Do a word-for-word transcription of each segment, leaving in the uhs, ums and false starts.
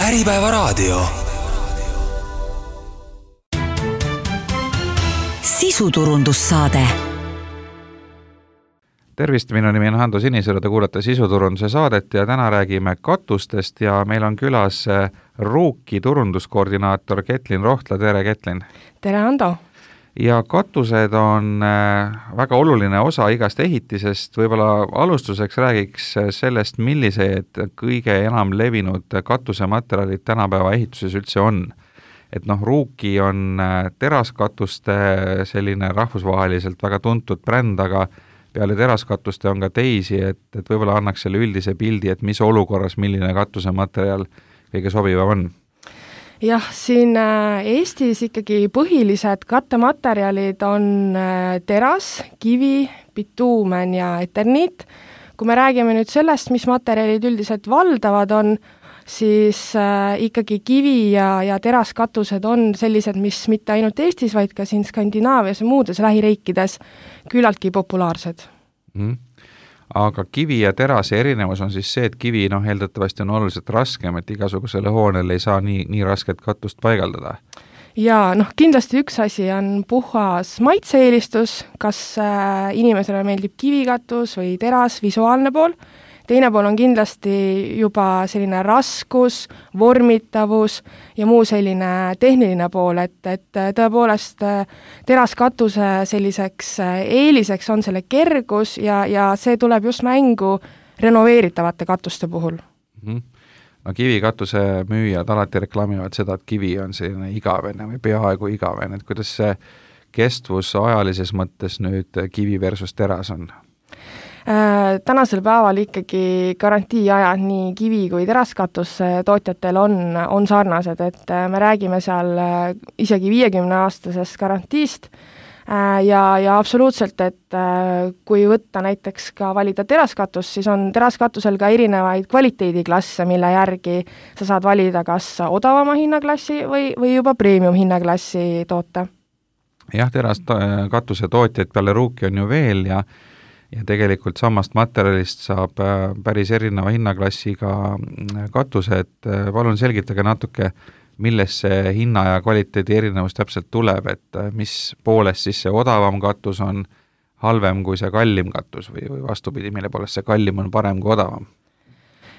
Äripäevaraadio. Sisuturundussaade. Tervist, minu nimi on Hando Sinisõru, te kuulate Sisuturunduse saadet ja täna räägime katustest ja meil on külas Ruuki turunduskoordinaator Ketlin Rohtla. Tere, Ketlin! Tere, Hando! Ja katused on väga oluline osa igast ehitisest. Võib-olla alustuseks räägiks sellest, millised kõige enam levinud katusematerjalid tänapäeva ehituses üldse on. Et noh, Ruuki on teraskatuste selline rahvusvaheliselt väga tuntud bränd, aga peale teraskatuste on ka teisi, et, et võib-olla annaks selle üldise pildi, et mis olukorras milline katusematerjal kõige sobivam on. Jah, siin Eestis ikkagi põhilised kattematerjalid on teras, kivi, bituumen ja eterniit. Kui me räägime nüüd sellest, mis materjalid üldiselt valdavad on, siis ikkagi kivi ja, ja teraskatused on sellised, mis mitte ainult Eestis, vaid ka siin Skandinaavias ja muudes lähiriikides küllaltki populaarsed. Mm. Aga kivi ja terase erinevus on siis see, et kivi noh, eeldatavasti on oluliselt raskem, et igasugusele hoonele ei saa nii, nii rasket katust paigaldada. Ja noh, kindlasti üks asi on puhas maitse-eelistus, kas äh, inimesele meeldib kivikatus või teras, visuaalne pool. Teine pool on kindlasti juba selline raskus, vormitavus ja muu selline tehniline pool, et, et tõepoolest teraskatuse selliseks eeliseks on selle kergus ja, ja see tuleb just mängu renoveeritavate katuste puhul. Mm-hmm. No kivikatuse müüjad alati reklaamivad seda, et kivi on selline igavene või peaaegu igavene, et kuidas see kestvus ajalises mõttes nüüd kivi versus teras on? Tänasel päeval ikkagi garantiiajad nii kivi kui teraskatus tootjatel on, on sarnased, et me räägime seal isegi viiekümne aastasest garantiist ja, ja absoluutselt, et kui võtta näiteks ka valida teraskatus, siis on teraskatusel ka erinevaid kvaliteediklasse, mille järgi sa saad valida kas odavama hinnaklassi või, või juba premium hinnaklassi toote. Jah, teraskatuse tootjaid peale Ruuki on ju veel ja ja tegelikult samast materjalist saab päris erineva hinnaklassiga katuse, et palun selgitage natuke, milles see hinna ja kvaliteedi erinevus täpselt tuleb, et mis poolest siis see odavam katus on halvem kui see kallim katus või, või vastupidi, mille poolest see kallim on parem kui odavam?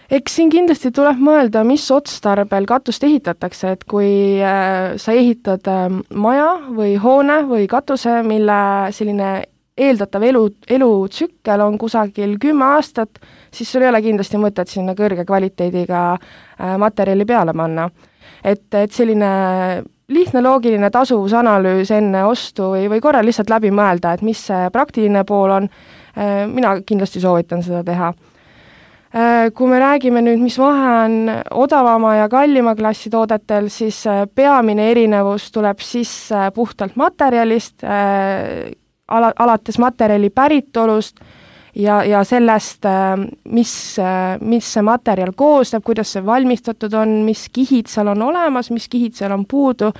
Eks siin kindlasti tuleb mõelda, mis otstarbel katust ehitatakse, et kui sa ehitad maja või hoone või katuse, mille selline eeldatav elu, elutsükkel on kusagil kümme aastat, siis sul ei ole kindlasti mõtet sinna kõrge kvaliteediga materjali peale panna. Et, et selline lihtne loogiline tasuvusanalüüs enne ostu või, või korra lihtsalt läbi mõelda, et mis see praktiline pool on, mina kindlasti soovitan seda teha. Kui me räägime nüüd, mis vahe on odavama ja kallima klassi toodetel, siis peamine erinevus tuleb sisse puhtalt materjalist, Ala, alates materjali päritolust ja, ja sellest, mis, mis see materjal koosneb, kuidas see valmistatud on, mis kihid seal on olemas, mis kihid seal on puudu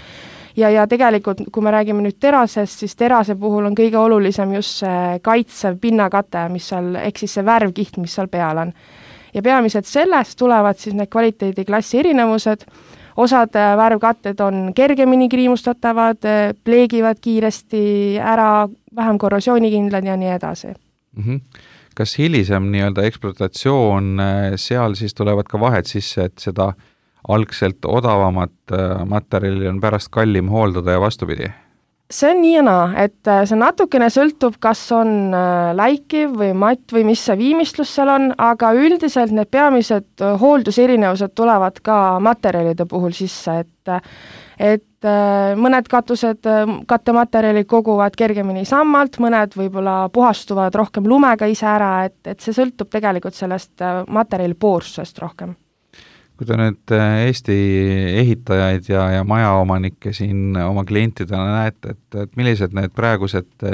ja, ja tegelikult, kui me räägime nüüd terasest, siis terase puhul on kõige olulisem just see kaitsev pinnakate, mis seal, ehk siis see värvkiht, mis seal peal on. Ja peamiselt sellest tulevad siis need kvaliteediklassi erinevused. Osad värvkatted on kergemini kriimustatavad, pleegivad kiiresti ära, vähem korrosioonikindlad ja nii edasi. Mm-hmm. Kas hilisem nii-öelda ekspluatatsioon, seal siis tulevad ka vahed sisse, et seda algselt odavamat materjali on pärast kallim hooldada ja vastupidi? See on nii ja naa, et see natukene sõltub, kas on läikiv või matt või mis see viimistlus seal on, aga üldiselt need peamised hoolduserinevused tulevad ka materjalide puhul sisse, et, et mõned katused, kattematerjali koguvad kergemini sammalt, mõned võib-olla puhastuvad rohkem lumega ise ära, et, et see sõltub tegelikult sellest materjali poorsusest rohkem. Kui te nüüd Eesti ehitajaid ja, ja majaomanikke siin oma klientidena näete, et, et millised need praegused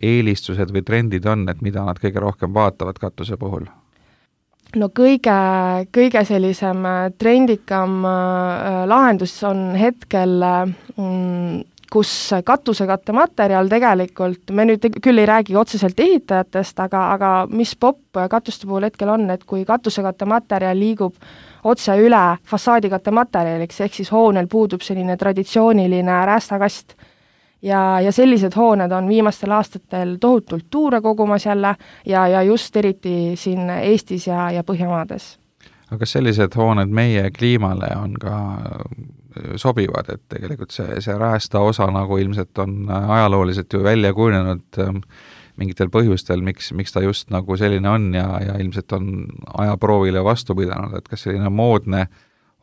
eelistused või trendid on, et mida nad kõige rohkem vaatavad katuse puhul? No kõige, kõige sellisem trendikam lahendus on hetkel mm, kus katusekattematerjal tegelikult, me nüüd küll ei räägi otseselt ehitajatest, aga, aga mis popp katuste puhul hetkel on, et kui katusekattematerjal liigub otse üle fassaadikatte materjaliks, ehk siis hoonel puudub selline traditsiooniline räästakast. Ja, ja sellised hooned on viimastel aastatel tohutult tuure kogumas jälle ja, ja just eriti siin Eestis ja, ja Põhjamaades. Aga kas sellised hooned meie kliimale on ka sobivad, et tegelikult see, see räästa osa nagu ilmselt on ajalooliselt ju välja kujunenud mingitel põhjustel, miks, miks ta just nagu selline on ja, ja ilmselt on ajaproovile vastu pidanud, et kas selline moodne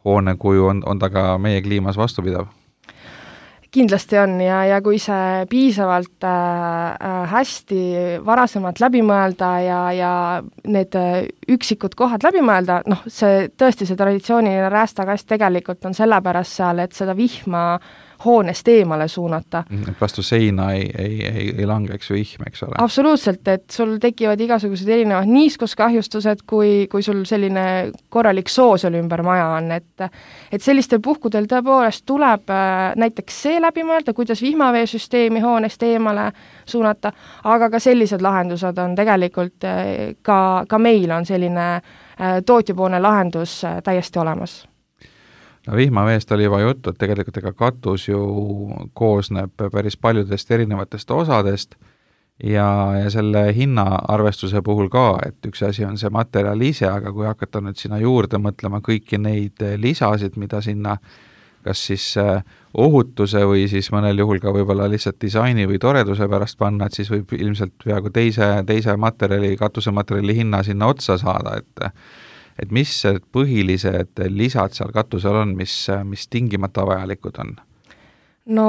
hoonekuju on, on ta ka meie kliimas vastupidav? Kindlasti on ja, ja kui see piisavalt äh, hästi varasemalt läbi mõelda ja, ja need üksikud kohad läbi mõelda, noh, see tõesti see traditsiooniline räästakast tegelikult on sellepärast seal, et seda vihma hoonest eemale suunata. Vastu seina ei, ei, ei, ei langeks vihm, eks ole? Absoluutselt, et sul tekivad igasugused erinevad niiskuskahjustused, kui, kui sul selline korralik soo seal ümber maja on, et, et sellistel puhkudel tõepoolest tuleb näiteks see läbi mõelda, kuidas vihmaveesüsteemi hoonest eemale suunata, aga ka sellised lahendused on tegelikult ka, ka meil on selline tootjapoolne lahendus täiesti olemas. No vihmaveest oli juba juttu, et tegelikult ega katus ju koosneb päris paljudest erinevatest osadest ja, ja selle hinnaarvestuse puhul ka, et üks asi on see materjal ise, aga kui hakata nüüd sinna juurde mõtlema kõiki neid lisasid, mida sinna kas siis ohutuse või siis mõnel juhul ka võib-olla lihtsalt disaini või toreduse pärast panna, et siis võib ilmselt peaaegu teise, teise materjali, katusematerjali hinna sinna otsa saada, et et mis põhilised lisad seal katusel on, mis, mis tingimata vajalikud on? No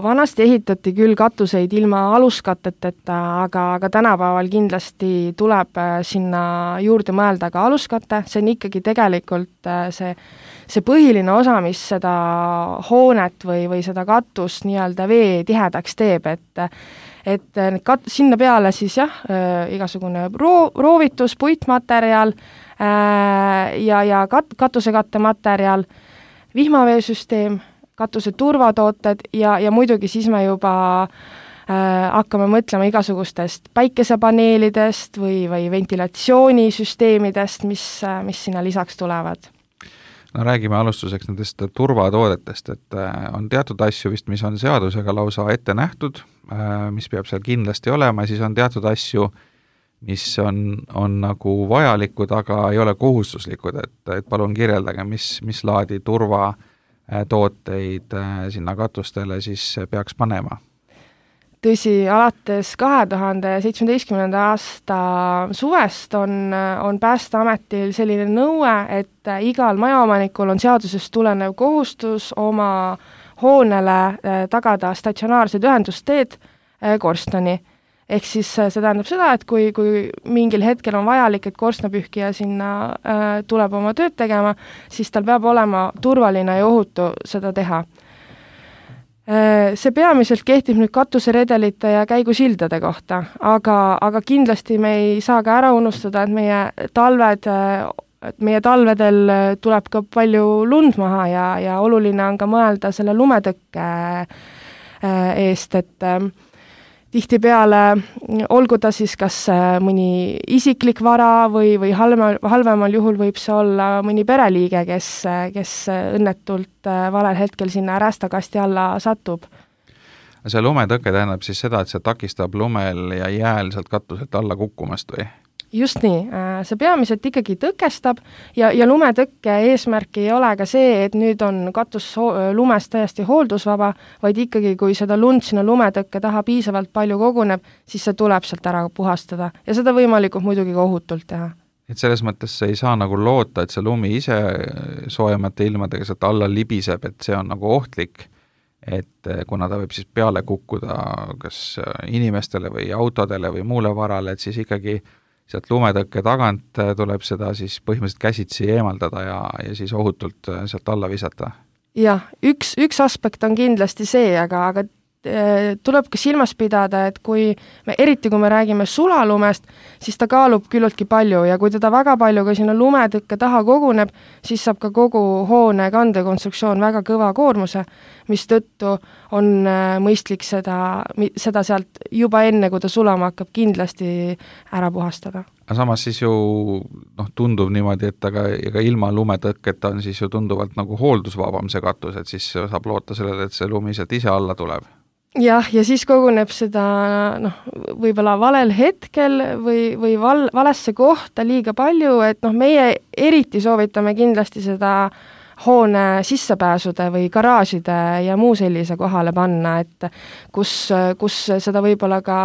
vanasti ehitati küll katuseid ilma aluskatteteta, aga, aga tänapäeval kindlasti tuleb sinna juurde mõelda ka aluskatte, see on ikkagi tegelikult see, see põhiline osa, mis seda hoonet või, või seda katust nii-öelda vee tihedaks teeb, et et kat-, sinna peale siis jah, igasugune roo-, roovitus, puitmaterjal ja, ja kat-, katusekatte materjal, vihmaveesüsteem, katuse turvatooted ja, ja muidugi siis me juba äh, hakkame mõtlema igasugustest päikesepaneelidest või, või ventilatsioonisüsteemidest, mis, mis sinna lisaks tulevad. No räägime alustuseks nendest turvatoodetest, et on teatud asju vist, mis on seadusega lausa ette nähtud, mis peab seal kindlasti olema, siis on teatud asju, mis on, on nagu vajalikud, aga ei ole kohustuslikud, et, et palun kirjeldage, mis, mis laadi turva tooteid sinna katustele siis peaks panema? Tõsi, alates kahe tuhande seitsmeteistkümnenda aasta suvest on, on Päästeametil selline nõue, et igal majaomanikul on seadusest tulenev kohustus oma hoonele tagada statsionaarsed ühendusteed korstnani. Ehk siis see tähendab seda, et kui, kui mingil hetkel on vajalik, et korstnapühkija sinna äh, tuleb oma tööd tegema, siis tal peab olema turvaline ja ohutu seda teha. Äh, see peamiselt kehtib nüüd katuseredelite ja käigusildade kohta, aga, aga kindlasti me ei saa ka ära unustada, et meie talved, et meie talvedel tuleb ka palju lund maha ja, ja oluline on ka mõelda selle lumetõkke äh, eest, et äh, tihtipeale olgu ta siis kas mõni isiklik vara või, või halvemal, halvemal juhul võib see olla mõni pereliige, kes, kes õnnetult valel hetkel sinna räästakasti alla satub. See lumetõke tähendab siis seda, et see takistab lumel ja jääl sealt katuselt alla kukkumast või? Just nii, see peamiselt ikkagi tõkestab ja, ja lumetõkke eesmärk ei ole ka see, et nüüd on katus lumest täiesti hooldusvaba, vaid ikkagi, kui seda lund sinna lumetõkke taha piisavalt palju koguneb, siis see tuleb sealt ära puhastada ja seda võimalikult muidugi ka ohutult teha. Et selles mõttes ei saa nagu loota, et see lumi ise soojemate ilmadega sealt alla libiseb, et see on nagu ohtlik, et kuna ta võib siis peale kukkuda kas inimestele või autodele või muule varale, et siis ikkagi sealt lumetõkke tagant tuleb seda siis põhimõtteliselt käsitsi eemaldada ja, ja siis ohutult sealt alla visata. Jah, üks, üks aspekt on kindlasti see, aga, aga tuleb ka silmas pidada, et kui me, eriti kui me räägime sulalumest, siis ta kaalub küllultki palju ja kui teda väga palju ka sinna lumetõkke taha koguneb, siis saab ka kogu hoone kandekonstruktsioon väga kõva koormuse, mis tõttu on mõistlik seda, seda sealt juba enne, kui ta sulama hakkab, kindlasti ära puhastada. samas siis ju noh, tundub niimoodi, et aga, aga ilma lumetõkketa on siis ju tunduvalt nagu hooldusvabam see katus, et siis saab loota sellele, et see lumi sealt ise alla tuleb. jah, ja siis koguneb seda noh, võib-olla valel hetkel või, või val, valesse kohta liiga palju, et noh, meie eriti soovitame kindlasti seda hoone sissepääsude või garaažide ja muu sellise kohale panna, et kus, kus seda võib-olla ka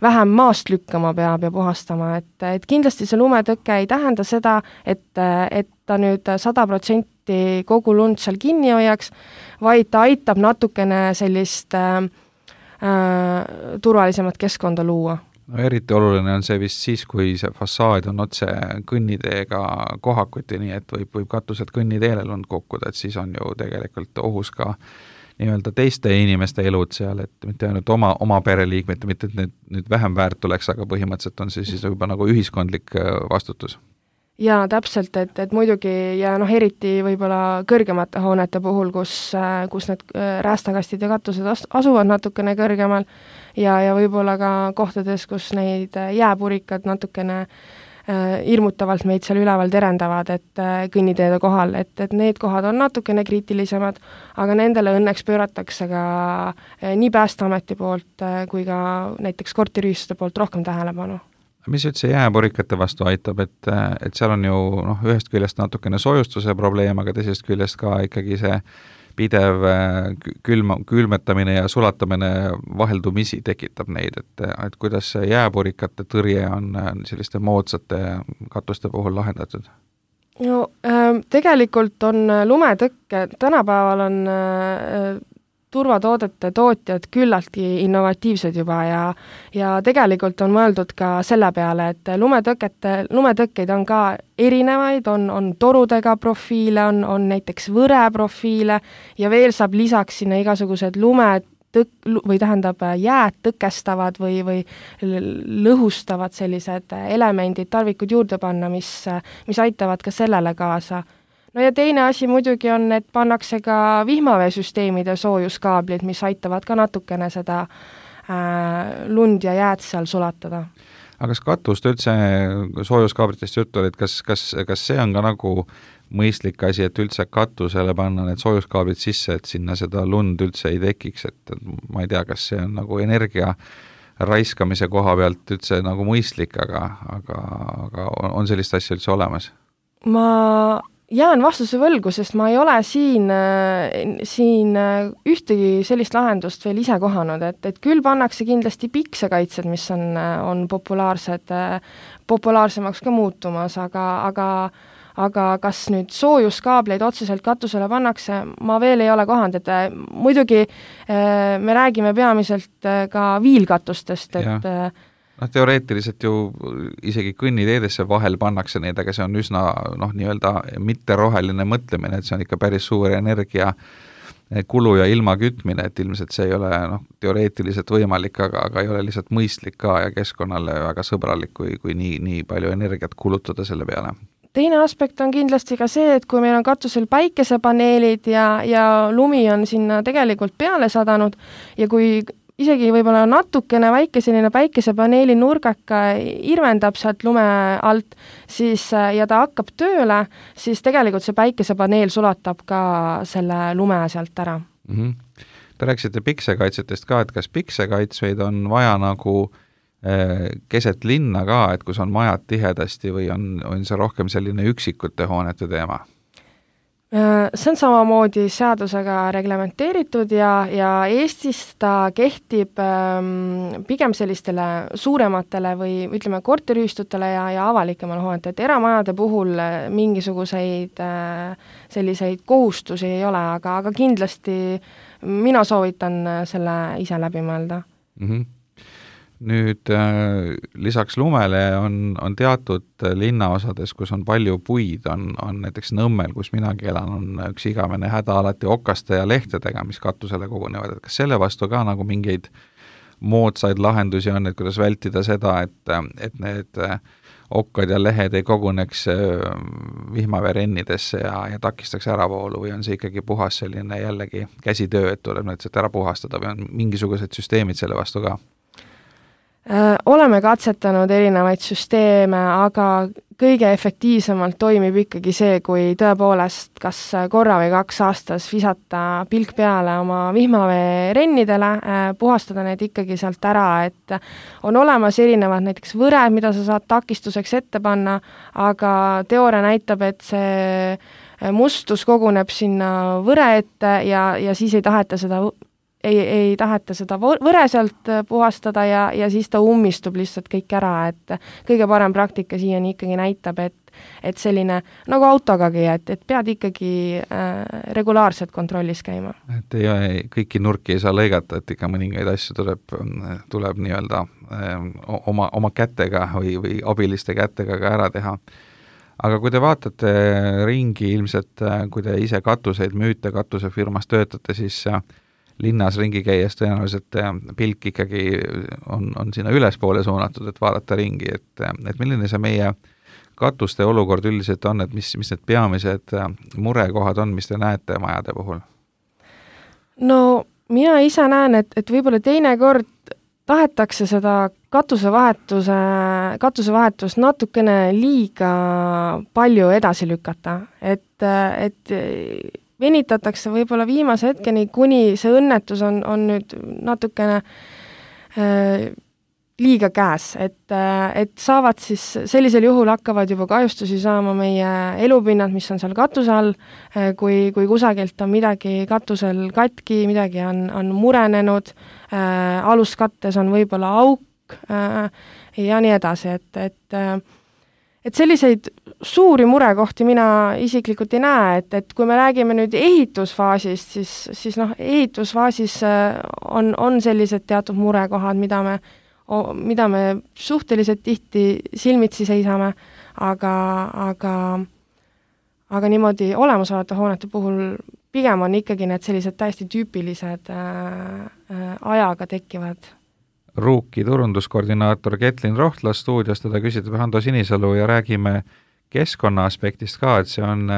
vähem maast lükkama peab ja puhastama, et, et kindlasti see lumetõke ei tähenda seda, et, et ta nüüd sada protsenti kogu lund seal kinni hoiaks, vaid ta aitab natukene sellist äh, äh, turvalisemat keskkonda luua. No eriti oluline on see vist siis, kui see fassaad on otse kõnniteega kohakuti, nii et võib, võib katused kõnniteele lund kukkuda, et siis on ju tegelikult ohus ka nii-öelda teiste inimeste elud seal, et mitte ainult oma, oma pereliikmed, mitte et need nüüd vähem väärt oleks, aga põhimõtteliselt on see siis juba nagu ühiskondlik vastutus. Jaa, täpselt, et, et muidugi ja noh, eriti võib-olla kõrgemate hoonete puhul, kus, kus need räästakastid ja katused asuvad natukene kõrgemal ja, ja võib-olla ka kohtades, kus neid jääpurikad natukene hirmutavalt meid seal üleval terendavad, et kõnniteede kohal, et, et need kohad on natukene kriitilisemad, aga nendele õnneks pööratakse ka nii Päästeameti poolt kui ka näiteks korteriühistute poolt rohkem tähelepanu. Mis üldse jääpurikate vastu aitab, et, et seal on ju noh, ühest küljest natukene soojustuse probleem, aga teisest küljest ka ikkagi see pidev külma, külmetamine ja sulatamine vaheldumisi tekitab neid, et, et kuidas see jääpurikate tõrje on selliste moodsate katuste puhul lahendatud? No äh, tegelikult on lumetõkke, tänapäeval on äh, turvatoodete tootjad küllaltki innovatiivsed juba ja, ja tegelikult on mõeldud ka selle peale, et lumetõkete, lumetõkkeid on ka erinevaid, on, on torudega profiile, on, on näiteks võre profiile ja veel saab lisaks sinna igasugused lume tõk- või tähendab jääd tõkestavad või, või lõhustavad sellised elemendid, tarvikud juurde panna, mis, mis aitavad ka sellele kaasa. No ja teine asi muidugi on, et pannakse ka vihmaveesüsteemide soojuskaablid, mis aitavad ka natukene seda äh, lund ja jääd seal sulatada. Aga kas katust üldse soojuskaablitest juttu oli, et kas, kas, kas see on ka nagu mõistlik asi, et üldse katusele panna need soojuskaablid sisse, et sinna seda lund üldse ei tekiks, et ma ei tea, kas see on nagu energia raiskamise koha pealt üldse nagu mõistlik, aga, aga, aga on sellist asja üldse olemas? Ma jään vastuse võlgu, sest ma ei ole siin, siin ühtegi sellist lahendust veel ise kohanud, et, et küll pannakse kindlasti piksekaitsed, mis on, on populaarsed, populaarsemaks ka muutumas, aga, aga, aga kas nüüd soojuskaableid otseselt katusele pannakse, ma veel ei ole kohanud, et muidugi me räägime peamiselt ka viilkatustest, et ja. Noh, teoreetiliselt ju isegi kõnniteedesse vahel pannakse neid, aga see on üsna noh, nii-öelda mitteroheline mõtlemine, et see on ikka päris suur energia kulu ja ilma kütmine, et ilmselt see ei ole noh, teoreetiliselt võimalik, aga, aga ei ole lihtsalt mõistlik ka ja keskkonnale väga sõbralik, kui, kui nii, nii palju energiat kulutada selle peale. Teine aspekt on kindlasti ka see, et kui meil on katusel päikesepaneelid ja, ja lumi on sinna tegelikult peale sadanud ja kui isegi võib-olla natukene väike selline päikesepaneeli nurgaka irvendab sealt lume alt, siis ja ta hakkab tööle, siis tegelikult see päikesepaneel sulatab ka selle lume sealt ära. Mm-hmm. Te rääkisite piksekaitsetest ka, et kas piksekaitsveid on vaja nagu eh, keset linna ka, et kus on majad tihedasti või on, on see rohkem selline üksikute hoonete teema? See on samamoodi seadusega reglementeeritud ja, ja Eestis ta kehtib ähm, pigem sellistele suurematele või ütleme korteriühistutele ja, ja avalikemale hoonete, et eramajade puhul mingisuguseid äh, selliseid kohustusi ei ole, aga, aga kindlasti mina soovitan selle ise läbi mõelda. Mm-hmm. Nüüd äh, lisaks lumele on, on teatud linnaosades, kus on palju puid, on, on näiteks Nõmmel, kus minagi elan, on üks igavene häda alati okaste ja lehtedega, mis katusele kogunevad, et kas selle vastu ka nagu mingeid moodsaid lahendusi on, et kuidas vältida seda, et, et need okkad ja lehed ei koguneks vihmaveerennidesse ja, ja takistaks äravoolu või on see ikkagi puhas selline jällegi käsitöö, et tuleb näiteks ära puhastada või on mingisugused süsteemid selle vastu ka? Oleme katsetanud erinevaid süsteeme, aga kõige efektiivsemalt toimib ikkagi see, kui tõepoolest kas korra või kaks aastas visata pilk peale oma vihmaveerennidele, puhastada need ikkagi sealt ära, et on olemas erinevad näiteks võred, mida sa saad takistuseks ette panna, aga teooria näitab, et see mustus koguneb sinna võre ette ja, ja siis ei taheta seda ei, ei taheta seda võre sealt puhastada ja, ja siis ta ummistub lihtsalt kõik ära, et kõige parem praktika siiani ikkagi näitab, et, et selline nagu autogagi, et, et pead ikkagi äh, regulaarselt kontrollis käima. Et ei, kõiki nurki ei saa lõigata, et ikka mõningaid asju tuleb, tuleb nii-öelda äh, oma, oma kätega või, või abiliste kätega ka ära teha. Aga kui te vaatate ringi ilmselt, kui te ise katuseid müüte, katusefirmas töötate, siis linnas ringi käies tõenäoliselt pilk ikkagi on, on sinna ülespoole suunatud, et vaadata ringi, et, et milline see meie katuste olukord üldiselt on, et mis, mis need peamised murekohad on, mis te näete majade puhul? No mina ise näen, et, et võib-olla teinekord tahetakse seda katusevahetuse, katusevahetust natukene liiga palju edasi lükata, et, et venitatakse võib-olla viimase hetkeni, kuni see õnnetus on, on nüüd natukene äh, liiga käes, et, äh, et saavad siis, sellisel juhul hakkavad juba kahjustusi saama meie elupinnad, mis on seal katuse all, äh, kui, kui kusagilt on midagi katusel katki, midagi on, on murenenud, äh, aluskattes on võib-olla auk äh, ja nii edasi, et, et äh, et selliseid suuri murekohti mina isiklikult ei näe, et, et kui me räägime nüüd ehitusfaasist, siis, siis noh, ehitusfaasis on, on sellised teatud murekohad, mida me, mida me suhteliselt tihti silmitsi seisame, aga, aga, aga niimoodi olemasolevate hoonete puhul pigem on ikkagi need sellised täiesti tüüpilised äh, äh, ajaga tekkivad Ruuki turunduskoordinaator Ketlin Rohtla stuudios, teda küsitab Hando Sinisalu ja räägime keskkonna aspektist ka, et see on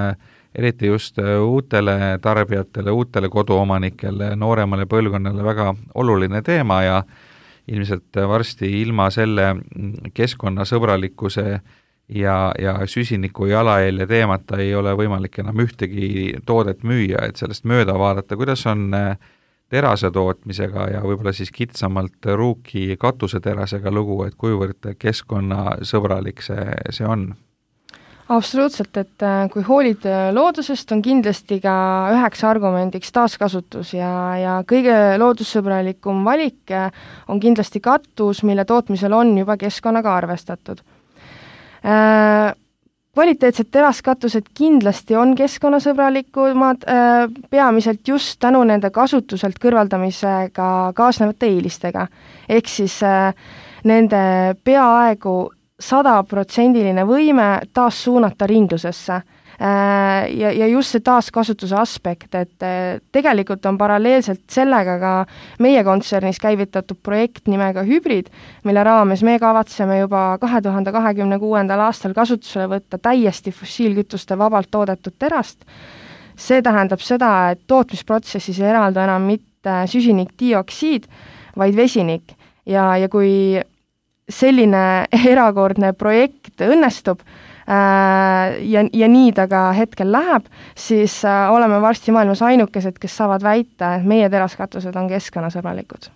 eriti just uutele tarbijatele, uutele koduomanikele, nooremale põlvkonnale väga oluline teema ja ilmselt varsti ilma selle keskkonnasõbralikkuse ja, ja süsiniku jalajälje teemata ei ole võimalik enam ühtegi toodet müüa, et sellest mööda vaadata, kuidas on terase tootmisega ja võib-olla siis kitsamalt Ruuki katuseterasega lugu, et kuivõrd keskkonnasõbralik see, see on? Absoluutselt, et kui hoolid loodusest, on kindlasti ka üheks argumendiks taaskasutus ja, ja kõige loodussõbralikum valik on kindlasti katus, mille tootmisel on juba keskkonnaga arvestatud. Kvaliteetsed teraskatused kindlasti on keskkonnasõbralikumad, peamiselt just tänu nende kasutuselt kõrvaldamisega kaasnevate eelistega. Ehk siis nende peaaegu sadaprotsendiline võime taas suunata ringlusesse. Ja, ja just see taaskasutuse aspekt, et tegelikult on paralleelselt sellega ka meie kontsernis käivitatud projekt nimega Hübrid, mille raames me kavatseme juba kahe tuhande kahekümne kuuendal aastal kasutusele võtta täiesti fossiilkütuste vabalt toodetud terast. See tähendab seda, et tootmisprotsessis ei eraldu enam mitte süsinikdioksiid, vaid vesinik. Ja, ja kui selline erakordne projekt õnnestub, ja, ja nii ta ka hetkel läheb, siis oleme varsti maailmas ainukesed, kes saavad väita, et meie teraskatused on keskkonnasõbralikud.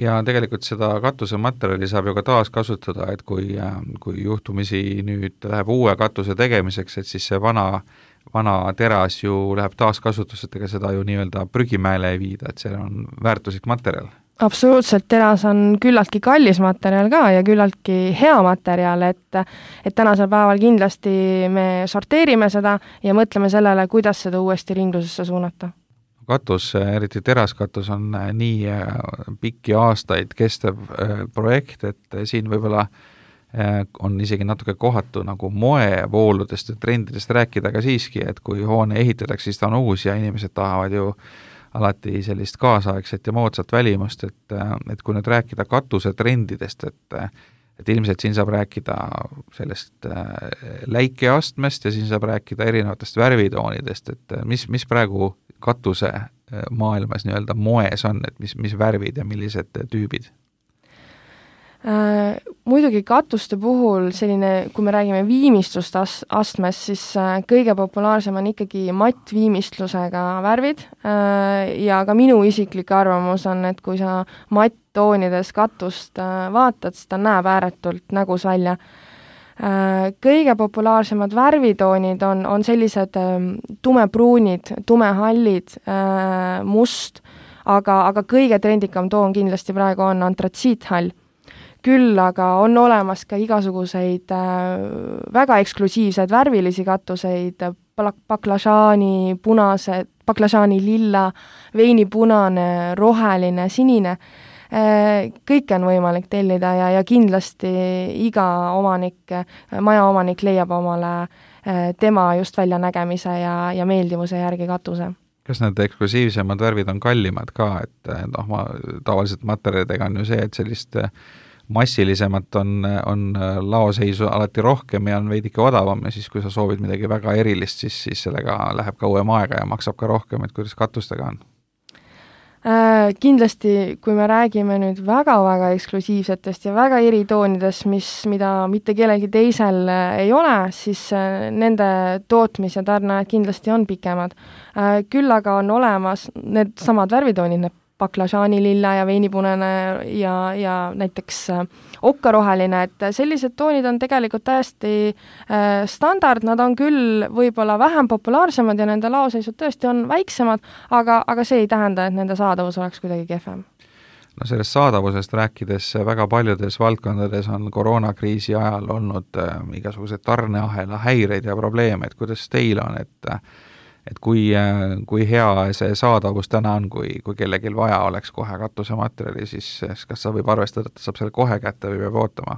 Ja tegelikult seda katusematerjali saab ju ka taas kasutada, et kui, kui juhtumisi nüüd läheb uue katuse tegemiseks, et siis see vana, vana teras ju läheb taaskasutuselt, ega seda ju nii-öelda prügimäele ei viida, et see on väärtuslik materjal. Absoluutselt, teras on küllaltki kallis materjal ka ja küllaltki hea materjal, et, et tänasel päeval kindlasti me sorteerime seda ja mõtleme sellele, kuidas seda uuesti ringlusesse suunata. Katus, eriti teraskatus on nii pikki aastaid kestev projekt, et siin võib-olla on isegi natuke kohatu nagu moevooludest ja trendidest rääkida, aga siiski, et kui hoone ehitatakse, siis ta on uus ja inimesed tahavad ju alati sellist kaasaegset ja moodsat välimust, et, et kui nüüd rääkida katusetrendidest, et, et ilmselt siin saab rääkida sellest läikeastmest ja siin saab rääkida erinevatest värvitoonidest, et mis, mis praegu katuse maailmas nii-öelda moes on, et mis, mis värvid ja millised tüübid? Muidugi katuste puhul selline, kui me räägime viimistlust as- astmes, siis kõige populaarsem on ikkagi mattviimistlusega värvid ja ka minu isiklik arvamus on, et kui sa matttoonides katust vaatad, siis ta näeb ääretult nägus välja. Kõige populaarsemad värvitoonid on, on sellised tumepruunid, tumehallid, must, aga, aga kõige trendikam toon kindlasti praegu on antratsiithall. Küll aga on olemas ka igasuguseid äh, väga eksklusiivseid värvilisi katuseid, baklažaani punased, baklažaani lilla, veinipunane, roheline, sinine. Äh, kõike on võimalik tellida ja, ja kindlasti iga omanik, maja omanik leiab omale äh, tema just väljanägemise ja, ja meeldivuse järgi katuse. Kas need eksklusiivsemad värvid on kallimad ka, et noh, ma tavaliselt materjalidega on ju see, et sellist massilisemat on, on laoseisu alati rohkem ja on veidike odavam ja siis, kui sa soovid midagi väga erilist, siis, siis sellega läheb kauem aega ja maksab ka rohkem, et kuidas katustega on? Äh, kindlasti, kui me räägime nüüd väga-väga eksklusiivsetest ja väga eritoonidest, mis, mida mitte kellelgi teisel ei ole, siis nende tootmis- ja tarneajad kindlasti on pikemad. Äh, küll aga on olemas need samad värvitoonid, need baklažaani lilla ja veinipunane ja, ja näiteks okkaroheline, et sellised toonid on tegelikult täiesti äh, standard, nad on küll võib-olla vähem populaarsemad ja nende laoseisud tõesti on väiksemad, aga, aga see ei tähenda, et nende saadavus oleks kuidagi kehvem. No sellest saadavusest rääkides väga paljudes valdkondades on koroonakriisi ajal olnud äh, igasugused tarneahela häireid ja probleeme, et kuidas teil on, et et kui, kui hea see saadavus täna on, kui, kui kellelgi vaja oleks kohe katusematerjali, siis kas sa võib arvestada, et saab selle kohe kätte või peab ootama?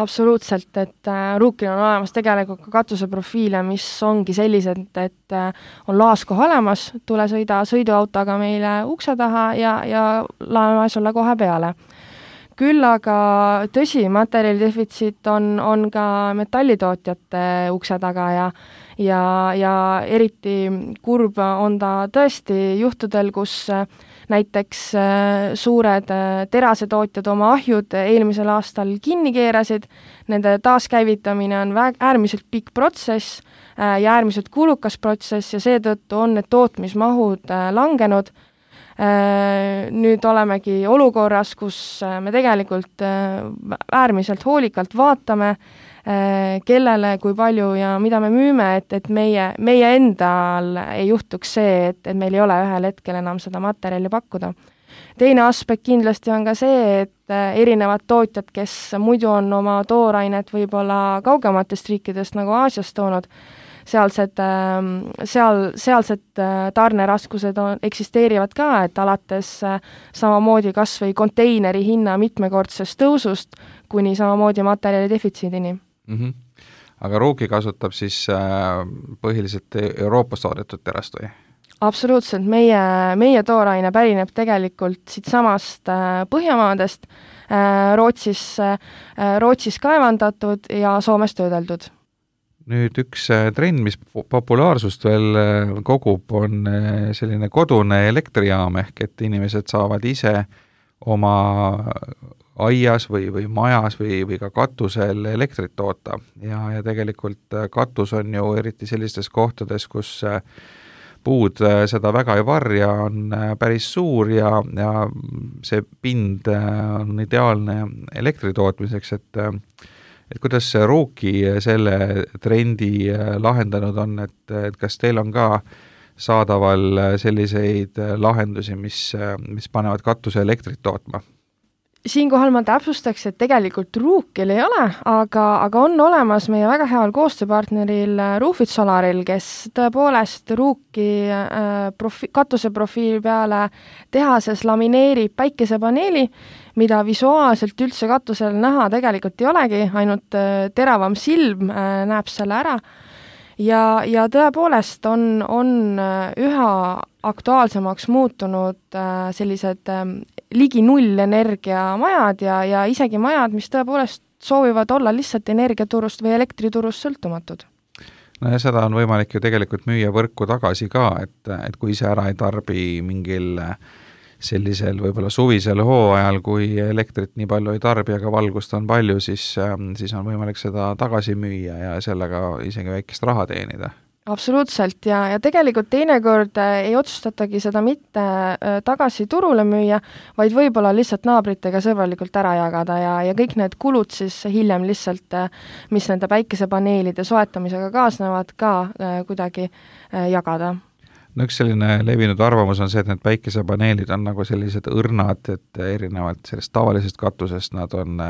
Absoluutselt, et äh, Ruukil on olemas tegelikult ka katuseprofiile, mis ongi sellised, et äh, on laaskoha olemas, tule sõida sõiduautoga meile ukse taha ja, ja laeme sulle kohe peale. Küll aga tõsi, materjali defitsiit on, on ka metallitootjate ukse taga ja ja, ja eriti kurb on ta tõesti juhtudel, kus näiteks suured terasetootjad oma ahjud eelmisel aastal kinni keerasid, nende taaskäivitamine on väg, äärmiselt pikk protsess ja äärmiselt kulukas protsess ja seetõttu on need tootmismahud langenud. Nüüd olemegi olukorras, kus me tegelikult äärmiselt hoolikalt vaatame, kellele, kui palju ja mida me müüme, et, et meie, meie endal ei juhtuks see, et, et meil ei ole ühel hetkel enam seda materjali pakkuda. Teine aspekt kindlasti on ka see, et erinevad tootjad, kes muidu on oma toorainet võib-olla kaugematest riikidest nagu Aasiast toonud, sealsed, seal, sealsed tarneraskused on, eksisteerivad ka, et alates samamoodi kas või konteineri hinna mitmekordsest tõusust kuni samamoodi materjali defitsiidini. Mm-hmm. Aga Ruuki kasutab siis äh, põhiliselt Euroopas toodetud terast või? Absoluutselt, meie, meie tooraine pärineb tegelikult siit samast äh, Põhjamaadest, äh, Rootsis, äh, Rootsis kaevandatud ja Soomes töödeldud. Nüüd üks trend, mis populaarsust veel kogub, on selline kodune elektrijaam, ehk et inimesed saavad ise oma aias või, või majas või, või ka katusel elektrit toota ja, ja tegelikult katus on ju eriti sellistes kohtades, kus puud seda väga ei varja, on päris suur ja, ja see pind on ideaalne elektri tootmiseks, et et kuidas Ruuki selle trendi lahendanud on, et, et kas teil on ka saadaval selliseid lahendusi, mis, mis panevad katuse elektrit tootma? Siinkohal ma täpsustaks, et tegelikult Ruukil ei ole, aga, aga on olemas meie väga heal koostööpartneril Roofit Solaril, kes tõepoolest Ruuki äh, profi, katuseprofiili peale tehases lamineerib päikesepaneeli, mida visuaalselt üldse katusel näha tegelikult ei olegi, ainult äh, teravam silm äh, näeb selle ära. Ja, ja tõepoolest on, on üha aktuaalsemaks muutunud äh, sellised äh, ligi null energiamajad ja, ja isegi majad, mis tõepoolest soovivad olla lihtsalt energiaturust või elektriturust sõltumatud. No ja seda on võimalik ju tegelikult müüa võrku tagasi ka, et, et kui ise ära ei tarbi mingil sellisel võib-olla suvisel hooajal, kui elektrit nii palju ei tarbi, aga valgust on palju, siis, siis on võimalik seda tagasi müüa ja sellega isegi väikest raha teenida. Absoluutselt ja, ja tegelikult teinekord ei otsustatagi seda mitte tagasi turule müüa, vaid võib-olla lihtsalt naabritega sõbralikult ära jagada ja, ja kõik need kulud siis hiljem lihtsalt, mis nende päikesepaneelide soetamisega kaasnevad, ka kuidagi jagada. No üks selline levinud arvamus on see, et need päikesepaneelid on nagu sellised õrnad, et erinevalt sellest tavalisest katusest nad on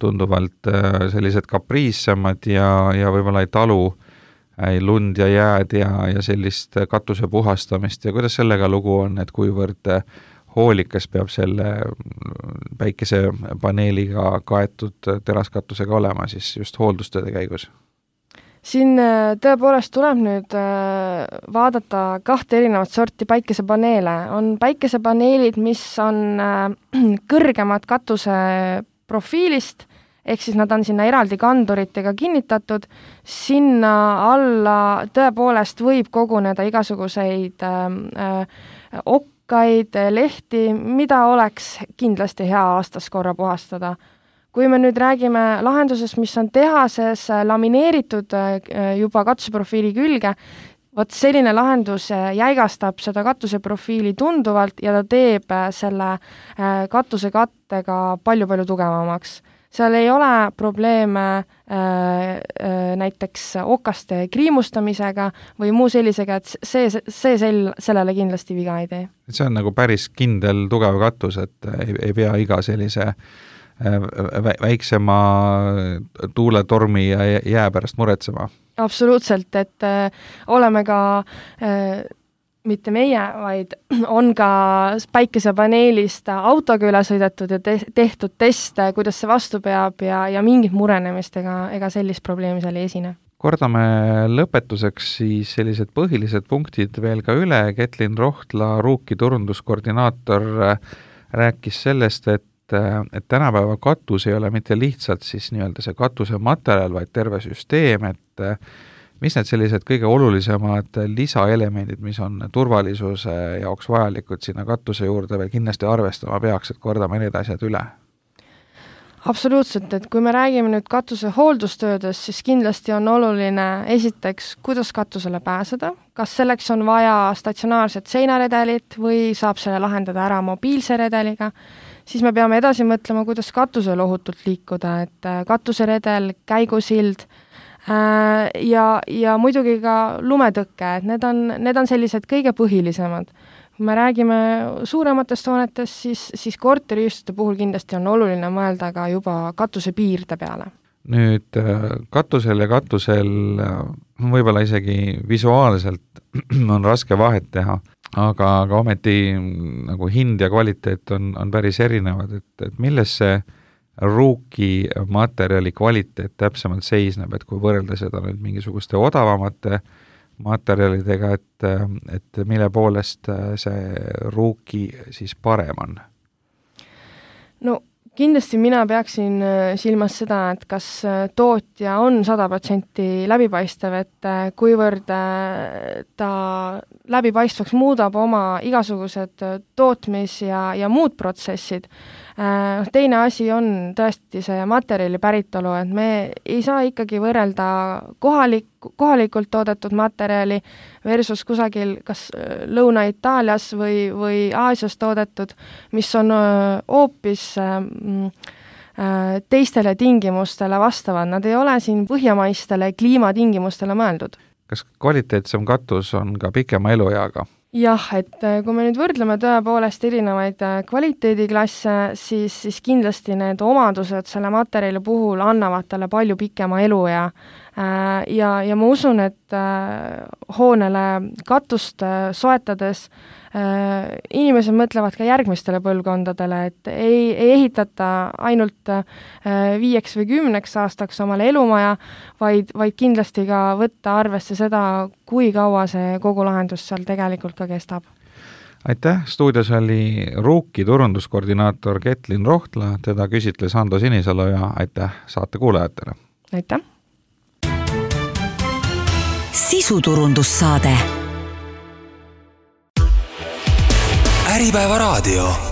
tunduvalt sellised kapriissemad ja, ja võib-olla ei talu ei lund ja jääd ja, ja sellist katuse puhastamist ja kuidas sellega lugu on, et kuivõrd hoolikas peab selle päikesepaneeliga kaetud teraskatusega olema siis just hooldustööde käigus? Siin tõepoolest tuleb nüüd vaadata kahte erinevat sorti päikesepaneele. On päikesepaneelid, mis on kõrgemad katuse profiilist, ehk siis nad on sinna eraldi kanduritega kinnitatud, sinna alla tõepoolest võib koguneda igasuguseid okkaid, lehti, mida oleks kindlasti hea aastas korra puhastada. Kui me nüüd räägime lahendusest, mis on tehases lamineeritud juba katuseprofiili külge, vot selline lahendus jäigastab seda katuseprofiili tunduvalt ja ta teeb selle katusekattega palju-palju tugevamaks. Seal ei ole probleeme näiteks okaste kriimustamisega või muu sellisega, et see, see sel, sellele kindlasti viga ei tee. See on nagu päris kindel tugev katus, et ei, ei pea iga sellise väiksema tuuletormi ja jää pärast muretsema. Absoluutselt, et äh, oleme ka äh, mitte meie, vaid on ka päikesepaneelist autoga üle sõidetud ja te- tehtud teste, kuidas see vastu peab ja, ja mingit murenemist ega, ega sellist probleemi seal ei esine. Kordame lõpetuseks siis sellised põhilised punktid veel ka üle. Ketlin Rohtla, Ruuki turunduskoordinaator, rääkis sellest, et et tänapäeva katus ei ole mitte lihtsalt siis nii-öelda see katuse materjal, vaid terve süsteem, et mis need sellised kõige olulisemad lisaelemendid, mis on turvalisuse jaoks vajalikud sinna katuse juurde veel kindlasti arvestama peaks, et kordame need asjad üle? Absoluutselt, et kui me räägime nüüd katuse hooldustöödest, siis kindlasti on oluline esiteks, kuidas katusele pääseda, kas selleks on vaja statsionaarset seinaredelit või saab selle lahendada ära mobiilse redeliga, siis me peame edasi mõtlema, kuidas katusel ohutult liikuda, et katuseredel, käigusild äh, ja, ja muidugi ka lumetõkke, et need on, need on sellised kõige põhilisemad. Kui me räägime suurematest hoonetest, siis, siis korteriühistute puhul kindlasti on oluline mõelda ka juba katuse piirde peale. Nüüd katusel ja katusel võib-olla isegi visuaalselt on raske vahet teha, aga, aga ometi nagu hind ja kvaliteet on, on päris erinevad, et, et milles see Ruuki materjali kvaliteet täpsemalt seisneb, et kui võrrelda seda nüüd mingisuguste odavamate materjalidega, et, et mille poolest see Ruuki siis parem on? No kindlasti mina peaksin silmas seda, et kas tootja on sada protsenti läbipaistev, et kuivõrd ta läbipaistvaks muudab oma igasugused tootmis- ja, ja muud protsessid. Teine asi on tõesti see materjali päritolu, et me ei saa ikkagi võrrelda kohalik, kohalikult toodetud materjali versus kusagil kas Lõuna-Itaalias või, või Aasias toodetud, mis on hoopis teistele tingimustele vastavad. Nad ei ole siin põhjamaistele kliimatingimustele mõeldud. Kas kvaliteetsem katus on ka pikema elueaga? Jah, et kui me nüüd võrdleme tõepoolest erinevaid kvaliteediklasse, siis, siis kindlasti need omadused selle materjali puhul annavad talle palju pikema eluea. Ja, ja ma usun, et hoonele katust soetades inimesed mõtlevad ka järgmistele põlvkondadele, et ei, ei ehitata ainult viieks või kümneks aastaks omale elumaja, vaid, vaid kindlasti ka võtta arvesse seda, kui kaua see kogu lahendus seal tegelikult ka kestab. Aitäh, stuudios oli Ruuki turunduskoordinaator Ketlin Rohtla, teda küsitles Ando Sinisalu ja aitäh saate kuulajatele. Aitäh! Sisuturundussaade. Äripäevaraadio.